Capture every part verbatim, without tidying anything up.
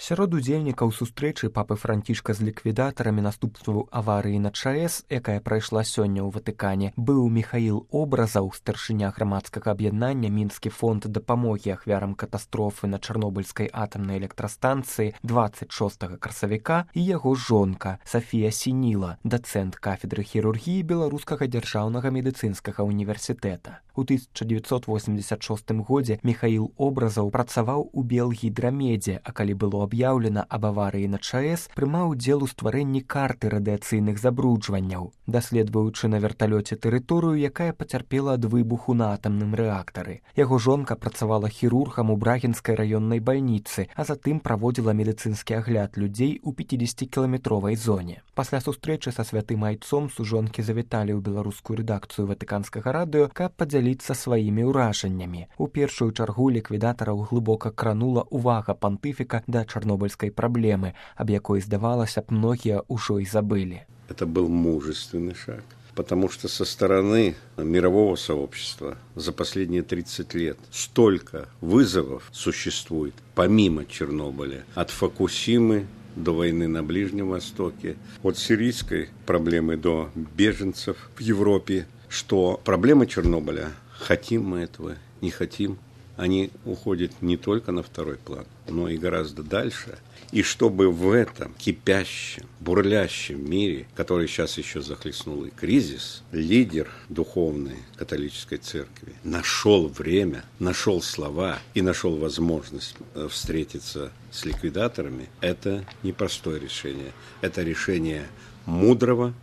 Сярод удзельнікаў сустрэчы папы Францішка з ліквідатарамі наступстваў аварыі на ЧАЭС, якая прайшла сёння ў Ватыкане, быў Міхаіл Образаў, старшыня грамадскага аб'яднання Мінскі фонд дапамогі ахвярам катастрофы на Чарнобыльскай атамнай электрастанцыі дваццаць шостага красавіка, і яго жонка Сафія Сініла, дацэнт кафедры хірургіі Беларускага дзяржаўнага медыцынскага універсітэта. У тысяча дзевяцьсот восемьдесят шостым годзе Міхаіл Образаў працаваў у Белгідрамедзе, а калі было аб'яўлена аб аварыі на ЧАЭС, прымаў удзел у стварэнні карты радыяцыйных забруджванняў, даследуючы на верталёце тэрыторыю, якая пацярпела ад выбуху на атамным рэактары. Яго жонка працавала хірургам у Брагінскай раённай бальніцы, а затым праводзіла медыцынскі агляд людзей у пяцідзесяцікіламетровай зоне. Пасля сустрэчы са святым айцом сужонкі завіталі ў беларускую рэдакцыю Ватыканскага радыё, каб падзяліцца сваімі ўражаннямі. У першую чаргу ліквідатараў глыбока кранула ўвага пантыфіка да чарнобыльскай праблемы, об якой, здавалася б, многія ўжо і забылі. Это был мужественный шаг, потому что со стороны мирового сообщества за последние тридцать лет столько вызовов существует, помимо Чернобыля, от Фукусимы до войны на Ближнем Востоке, от сирийской проблемы до беженцев в Европе, что проблемы Чернобыля, хотим мы этого, не хотим, они уходят не только на второй план, но и гораздо дальше. И чтобы в этом кипящем, бурлящем мире, который сейчас еще захлестнул и кризис, лидер духовной католической церкви нашел время, нашел слова и нашел возможность встретиться с ликвидаторами, это непростое решение. Это решение мудрого,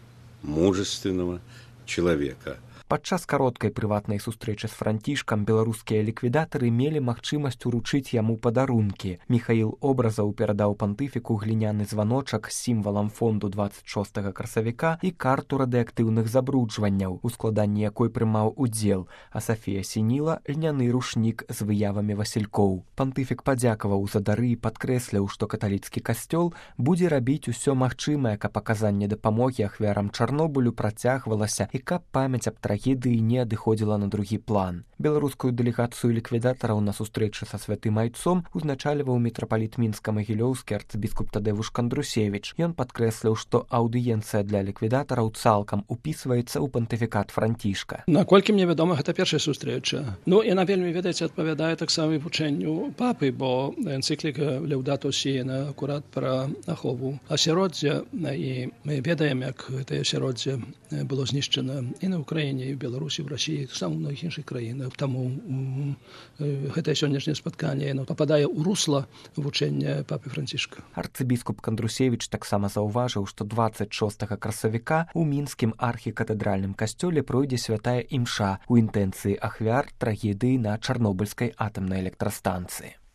мужественного человека. Падчас кароткай прыватнай сустрэчы з Францішкам беларускія ліквідатары мелі магчымасць уручыць яму падарункі. Міхаіл Образаў перадаў пантыфіку гліняны званочак з сімвалам фонду дваццаць шостага красавіка і карту радыактыўных забруджванняў, у складанні якой прымаў удзел, а Сафія Сініла льняны рушнік з выявамі васількоў. Пантыфік падзякаваў за дары і падкрэсліў, што каталіцкі касцёл будзе рабіць усё магчымае, каб аказанне дапамогі ахвярам Чарнобылю працягвалася і каб памяць аб трагедыі не адыходзіла на другі план. Беларускую дэлегацыю ліквідатараў на сустрэчы са святым айцом узначальваў мітрапаліт мінска-магілёўскі арцыбіскуп Тадэвуш Кандрусевіч. Ён падкрэсліў, што аўдыенцыя для ліквідатараў цалкам упісваецца ў пантыфікат Францішка. Наколькі мне вядома, гэта першая сустрэча. Ну, яна вельмі, ведаеце, адпавядае таксама вучэнню папы, бо энцыкліка Леўдато Сі, яна акурат пра ахову асяроддзя, і мы ведаем, як гэтае асяроддзе было знішчана і на Украіне, і в Беларусі, в Расіі, сам у многіх іншых краінах. Таму гэтае сённяшняе спатканне пападае ў русла вучэння папы Францішка. Арцыбіскуп Кандрусевіч таксама заўважыў, што дваццаць шостага красавіка ў мінскім архікатэдральным касцёле пройдзе святая імша ў інтэнцыі ахвяр трагедыі на Чарнобыльскай атамнай электрастанцыі.